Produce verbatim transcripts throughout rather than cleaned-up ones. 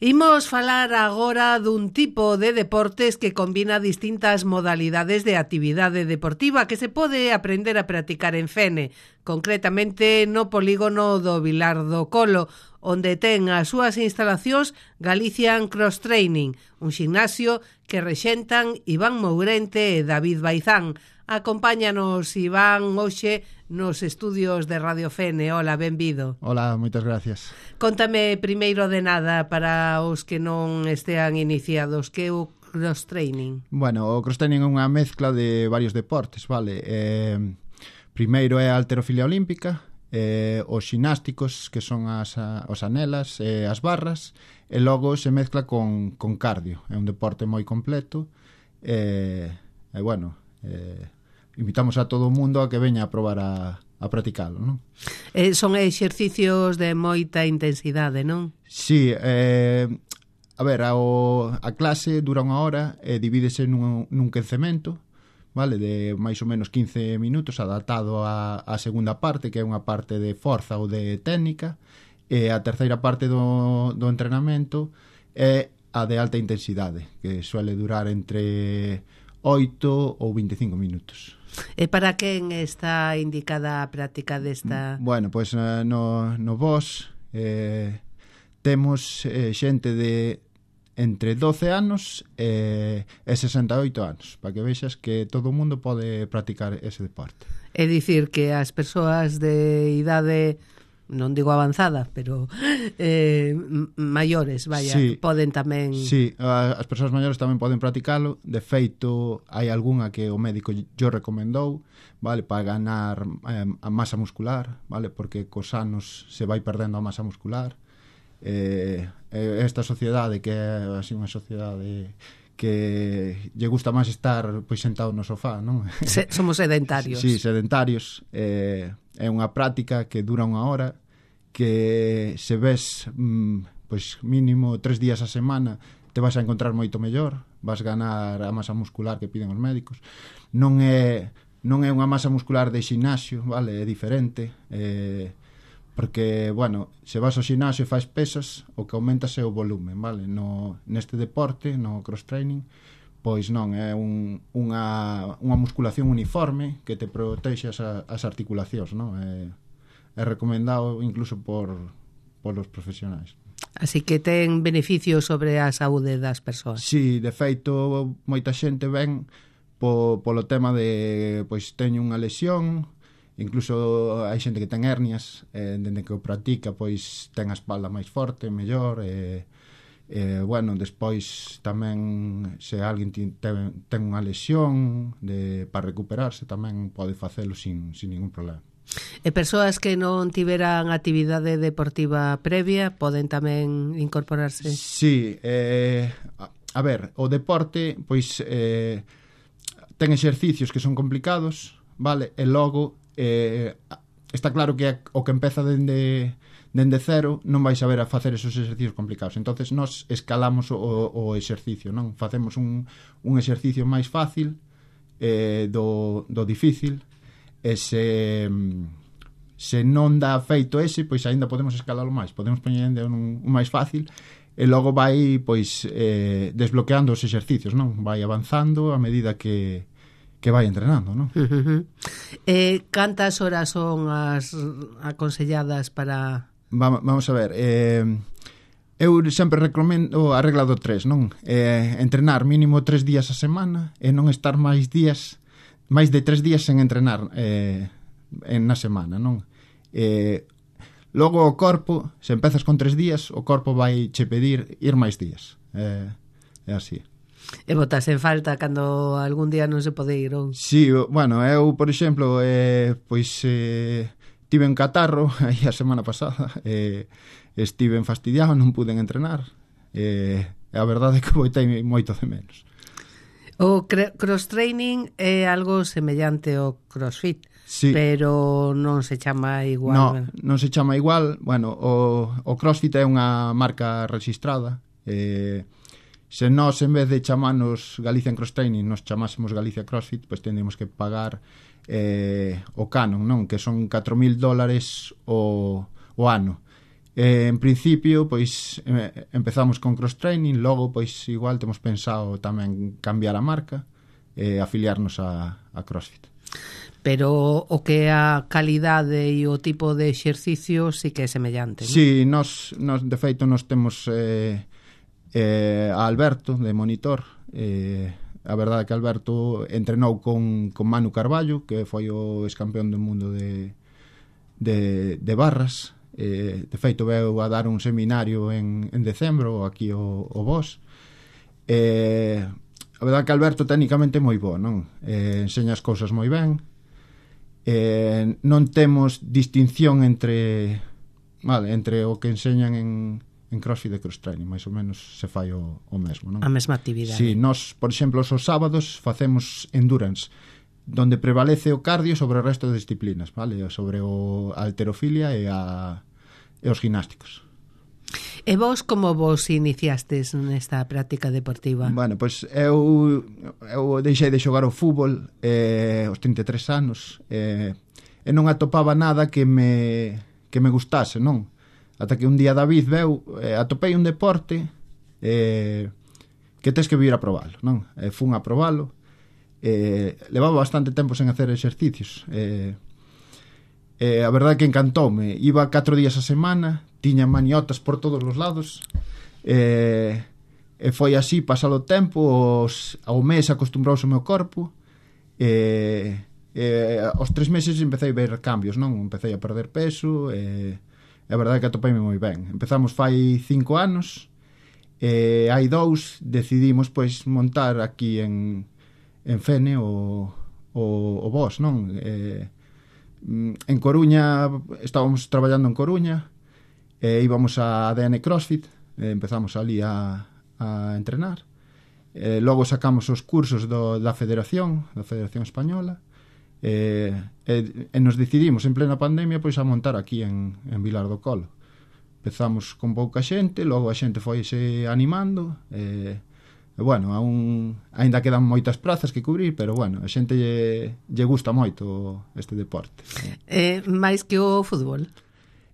Imos falar agora dun tipo de deportes que combina distintas modalidades de actividade deportiva que se pode aprender a practicar en Fene, concretamente no polígono do Vilar do Colo, onde ten as súas instalacións Galician Cross Training, un ximnasio que rexentan Iván Mourente e David Baizán. Acompáñanos, Iván, hoxe nos estudios de Radio Fene. Hola, benvido. Hola, moitas gracias. Contame primeiro de nada para os que non estean iniciados, que é o cross training? Bueno, o cross training é unha mezcla de varios deportes, vale? Eh, primeiro é a halterofilia olímpica, eh, os xinásticos, que son as, os anelas e eh, as barras, e logo se mezcla con, con cardio. É un deporte moi completo, e eh, eh, bueno... Eh, invitamos a todo o mundo a que veña a probar a, a practicalo, non? Eh, son exercicios de moita intensidade, non? Sí, eh, a ver, a, o, a clase dura unha hora e divídese nun, nun quencemento, vale, de máis ou menos quince minutos, adaptado a, a segunda parte, que é unha parte de forza ou de técnica, e a terceira parte do, do entrenamento é a de alta intensidade, que suele durar entre oito ou veinticinco minutos. E para quen está indicada a práctica desta? Bueno, pois pues, no, no vos eh, temos eh, xente de entre doce anos eh, e sesenta e oito anos, para que vexas que todo o mundo pode practicar ese deporte. É dicir que as persoas de idade, non digo avanzada, pero eh, maiores, vaya, sí, poden tamén... Sí, as persoas maiores tamén poden practicalo. De feito, hai algunha que o médico yo recomendou, vale, para ganar eh, a masa muscular, vale, porque cos anos se vai perdendo a masa muscular. Eh, esta sociedade, que é así unha sociedade que lle gusta máis estar pois sentado no sofá, non? Se, somos sedentarios. Sí, sedentarios. Eh, é unha práctica que dura unha hora, que se ves mm, pois mínimo tres días a semana te vas a encontrar moito mellor, vas ganar a masa muscular que piden os médicos. Non é non é unha masa muscular de ximnasio, vale, é diferente, eh, porque, bueno, se vas ao ximnasio e faz pesas, o que aumentas é o volumen, vale? No, neste deporte, no cross training, pois non, é un, unha, unha musculación uniforme que te protexe as, as articulacións, non? É, é recomendado incluso por, por os profesionais. Así que ten beneficios sobre a saúde das persoas. Sí, de feito, moita xente ven po, polo tema de, pois, teño unha lesión, incluso hai xente que ten hernias, eh, dende que o practica, pois, ten a espalda máis forte, mellor, e... Eh, bueno, despois tamén se alguén ten, ten unha lesión de, para recuperarse, tamén pode facelo sin, sin ningún problema. E persoas que non tiveran actividade deportiva previa poden tamén incorporarse? Sí, eh, a, a ver, o deporte pois eh, ten exercicios que son complicados, vale, e logo eh, está claro que o que empeza dende dende cero non vais saber a facer esos exercicios complicados. Entonces nós escalamos o, o exercicio, non? Facemos un, un exercicio máis fácil eh, do, do difícil, e se, se non dá feito ese, pois aínda podemos escalalo máis, podemos poñer un, un máis fácil, e logo vai pois eh, desbloqueando os exercicios, non? Vai avanzando a medida que que vai entrenando, non? Uh -huh. Eh, cantas horas son as aconselladas para... Vamos, vamos a ver, eh, eu sempre recomendo a regla do tres, non? Eh, entrenar mínimo tres días a semana e non estar máis días, máis de tres días sen entrenar eh, en na semana, non? Eh, logo o corpo, se empezas con tres días, o corpo vai che pedir ir máis días. Eh, é así. E botas en falta cando algún día non se pode ir, ou? Sí, bueno, eu, por exemplo, eh, pois... Eh, tive un catarro aí a semana pasada, e eh, estive fastidiado, non pude entrenar, e eh, a verdade é que boitei moito de menos. O cross-training é algo semellante ao crossfit, sí, pero non se chama igual. No, non se chama igual. Bueno, o, o crossfit é unha marca registrada. Eh, se nós, en vez de chamarnos Galician Cross Training, nos chamásemos Galicia Crossfit, pois tendríamos que pagar eh, o canon, non? Que son catro mil dólares o, o ano. Eh, en principio, pois eh, empezamos con cross training, logo pois igual temos pensado tamén cambiar a marca e eh, afiliarnos a, a CrossFit. Pero o que é a calidade e o tipo de exercicio sí que é semellante, non? Sí, nos, nos de feito nos temos eh, eh, a Alberto de monitor. Eh, a verdade é que Alberto entrenou con, con Manu Carballo, que foi o ex-campeón do mundo de, de, de barras. Eh, de feito veu a dar un seminario en, en decembro aquí o, o vos. Eh, a verdade que Alberto técnicamente é moi bo, non? Eh, enseña as cousas moi ben. Eh, non temos distinción entre vale, entre o que enseñan en, en CrossFit e cross training, máis ou menos se fai o, o mesmo, non? A mesma actividade. Si, sí, nós, por exemplo, os sábados facemos endurance, donde prevalece o cardio sobre o resto de disciplinas, vale? Sobre o a halterofilia e a e os gimnásticos. E vos como vos iniciastes nesta práctica deportiva? Bueno, pois eu, eu deixei de xogar o fútbol eh, aos trinta e tres anos eh, e non atopaba nada que me, que me gustase, non? Ata que un día David veu, eh, atopei un deporte eh, que tes que vir a probalo, non? E fun a probalo, eh, levaba bastante tempo sen hacer exercicios, eh, Eh, a verdade que encantoume. Iba catro días a semana, tiña maniotas por todos os lados, eh, e foi así pasado o tempo, os, ao mes acostumbrouse o meu corpo, e eh, aos tres meses empecé a ver cambios, non? Empecé a perder peso, e a verdade que atopeime moi ben. Empezamos fai cinco anos, e hai dous decidimos pois montar aquí en, en Fene o, o, o vos, non? Eh, en Coruña, estábamos traballando en Coruña e íbamos a A D N CrossFit, e empezamos ali a, a entrenar, e logo sacamos os cursos do, da Federación da Federación Española, e, e, e nos decidimos en plena pandemia pois a montar aquí en, en Vilar do Colo. Empezamos con pouca xente, logo a xente foise animando, e E, bueno, aún, ainda quedan moitas prazas que cubrir, pero, bueno, a xente lle, lle gusta moito este deporte. Eh, máis que o fútbol?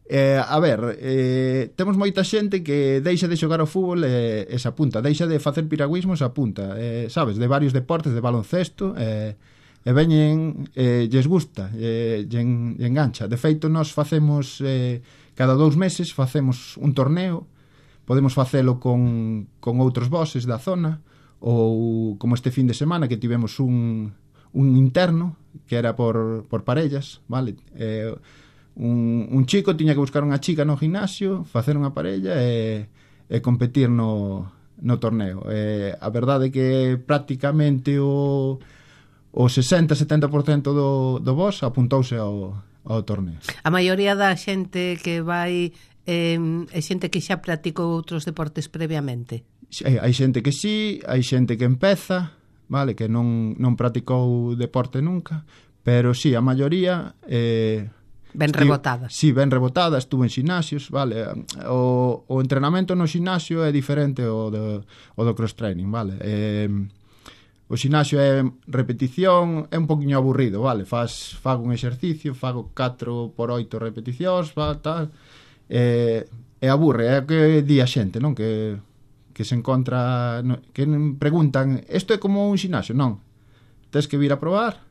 Eh, a ver, eh, temos moita xente que deixa de xogar ao fútbol e, e se apunta, deixa de facer piragüismo e se apunta, eh, sabes, de varios deportes, de baloncesto, eh, e veñen, eh, lles gusta, eh, lle, lle engancha. De feito, nós facemos, eh, cada dous meses, facemos un torneo. Podemos facelo con, con outros bosses da zona, ou como este fin de semana que tivemos un, un interno que era por, por parellas, vale? Eh, un, un chico tiña que buscar unha chica no gimnasio, facer unha parella e, e competir no, no torneo. Eh, a verdade é que prácticamente o, o sesenta a setenta por cento do, do boss apuntouse ao, ao torneo. A maioría da xente que vai eh, é xente que xa practicou outros deportes previamente? Hai, hai xente que sí, hai xente que empeza, vale, que non, non practicou deporte nunca, pero sí, a maioría eh, ben estive, rebotada. Sí, ben rebotada, estuve en xinasios, vale. O, o entrenamento no xinasio é diferente ao do, ao do cross training, vale. Eh, o xinasio é repetición, é un poquinho aburrido, vale. Faz, fago un exercicio, fago catro por oito repeticións, va, tal. E, e aburre, é que di a xente, non? Que, que se encontra, no, que preguntan, isto é como un xinasio? Non, tes que vir a probar,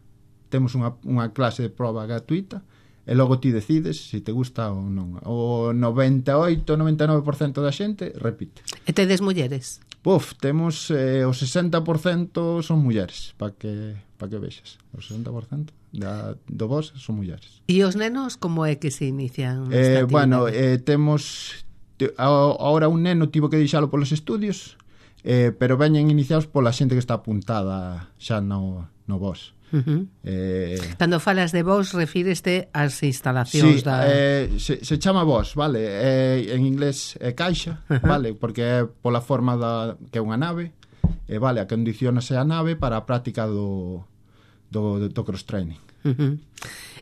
temos unha, unha clase de proba gratuita e logo ti decides se te gusta ou non. O noventa e oito, noventa e nove por cento da xente repite. E tedes mulleres? Puf, temos eh, o sesenta por cento son mulleres, para que, pa que vexas. O sesenta por cento da, do vos son mulleres. E os nenos como é que se inician? Eh, bueno, eh, temos te, ahora un neno tivo que deixalo polos estudios, eh, pero veñen iniciados pola xente que está apuntada xa no, no vos. Uh-huh. Eh, Cando falas de vos, refíreste ás instalacións sí, da... eh, se, se chama vos, vale? Eh, en inglés é caixa, uh-huh. Vale? Porque é pola forma da, que é unha nave, e vale, acondicionase a nave para a práctica do, do, do cross training. Uh-huh.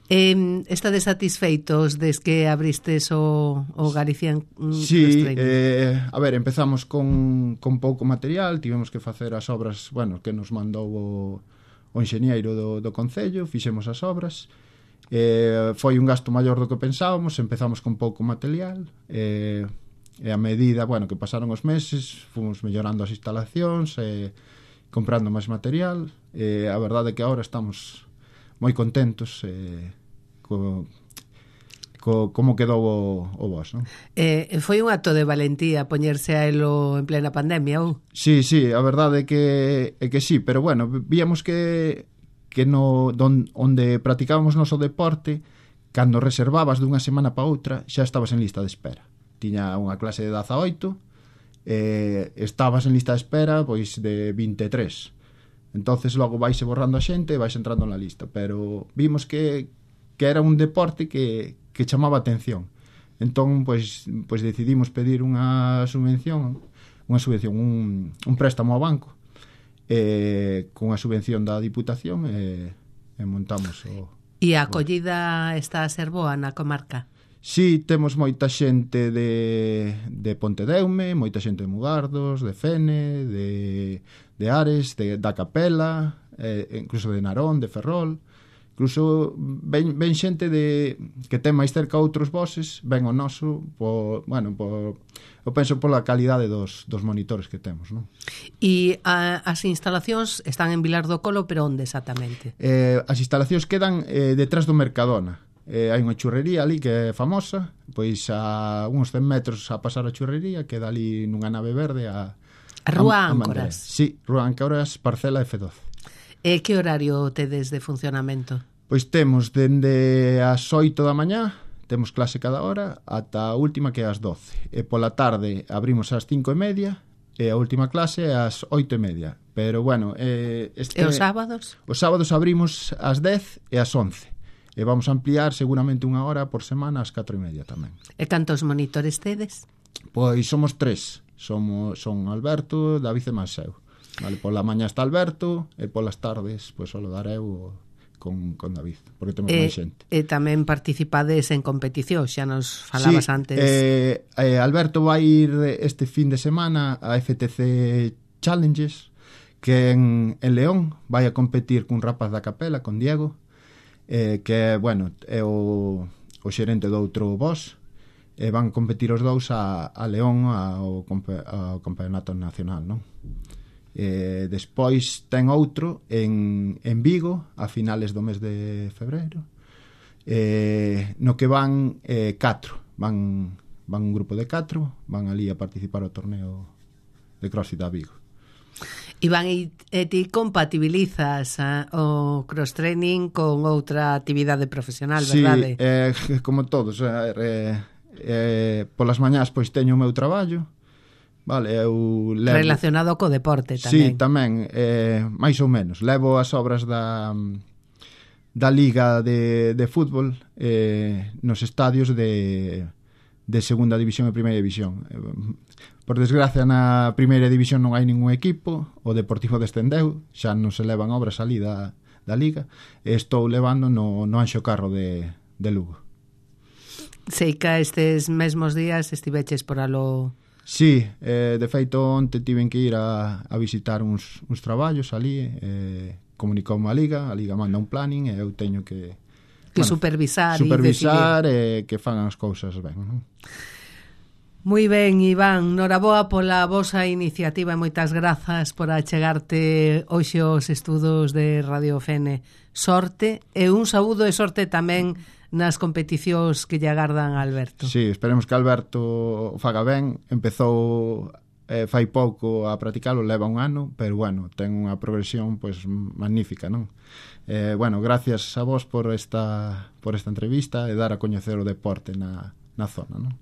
Eh, estades satisfeitos des que abristes o, o Galician sí, Cross Training? Eh, a ver, empezamos con, con pouco material, tivemos que facer as obras, bueno, que nos mandou o, o enxeñeiro do, do Concello, fixemos as obras, Eh, foi un gasto maior do que pensábamos, empezamos con pouco material, e, e a medida, bueno, que pasaron os meses, fomos mellorando as instalacións, e comprando máis material, e a verdade é que agora estamos moi contentos e, co, co, como quedou o, o vos, non? Eh, foi un acto de valentía poñerse a elo en plena pandemia, ou? Sí, sí, a verdade é que, é que sí, pero bueno, víamos que que no don, onde practicábamos noso deporte, cando reservabas dunha semana para outra, xa estabas en lista de espera. Tiña unha clase de dezaoito, eh, estabas en lista de espera pois de vinte e tres. Entonces logo vaise borrando a xente e vais entrando na lista, pero vimos que, que era un deporte que, que chamaba atención. Entón, pois, pois decidimos pedir unha subvención, unha subvención, un, un préstamo ao banco, eh, con a subvención da Diputación, e, e montamos o... E a acollida está a ser boa na comarca? Sí, temos moita xente de, de Pontedeume, moita xente de Mugardos, de Fene, de, de Ares, de, da Capela, eh, incluso de Narón, de Ferrol. Incluso ven, ven xente de que ten máis cerca outros bosses, ven o noso, por, bueno, por, eu penso pola calidade dos, dos monitores que temos, non? E a, as instalacións están en Vilar do Colo, pero onde exactamente? Eh, as instalacións quedan eh, detrás do Mercadona. Eh, hai unha churrería ali que é famosa, pois a uns cen metros a pasar a churrería, queda ali nunha nave verde a, a Rúa a, a Áncoras. Sí, Rúa Áncoras, parcela F doce. E que horario tedes de funcionamento? Pois temos dende as oito da mañá, temos clase cada hora, ata a última que é as doce. E pola tarde abrimos ás cinco e media, e a última clase é ás oito e media. Pero bueno... Eh, este, e os sábados? Os sábados abrimos ás dez e ás once. E vamos a ampliar seguramente unha hora por semana ás catro e media tamén. E cantos monitores tedes? Pois somos tres. Somos, son Alberto, David e Maseu. Vale, pola mañá está Alberto e polas tardes pois solo dar eu con, con David, porque temos e, máis xente. E tamén participades en competición, xa nos falabas sí, antes. Eh, eh, Alberto vai ir este fin de semana a F T C Challenges, que en, en León vai a competir cun rapaz da Capela, con Diego, eh, que, bueno, é o, o xerente do outro boss, e van competir os dous a, a León ao, ao campeonato nacional, non? Eh, despois ten outro en, en Vigo a finales do mes de febreiro, eh, no que van eh, catro van, van un grupo de catro, van ali a participar ao torneo de CrossFit a Vigo. Iván, e ti compatibilizas a, o cross-training con outra actividade profesional, verdade? Sí, eh, como todos, eh, eh, polas mañás pois teño o meu traballo. Vale, eu levo... Relacionado co deporte tamén. Sí, tamén, eh, máis ou menos. Levo as obras da, da Liga de, de Fútbol eh, nos estadios de, de Segunda División e Primeira División. Por desgracia, na Primeira División non hai ningún equipo, o Deportivo descendeu, xa non se levan obras ali da, da Liga, e estou levando no, no Anxo Carro de, de Lugo. Sei que estes mesmos días estiveches por alo... Sí, eh, de feito onte tiven que ir a, a visitar uns, uns traballos ali, eh, comunicoume a Liga, a Liga manda un planning e eu teño que, que bueno, supervisar, supervisar e, e que fan as cousas ben, non? Moi ben, Iván, noraboa pola vosa iniciativa e moitas grazas por achegarte hoxe aos estudos de Radio Fene. Sorte e un saúdo e sorte tamén nas competicións que lle agardan a Alberto. Sí, esperemos que Alberto faga ben. Empezou eh, fai pouco a practicalo, leva un ano, pero bueno, ten unha progresión pois magnífica, non? Eh, bueno, gracias a vos por esta por esta entrevista e dar a coñecer o deporte na, na zona, non?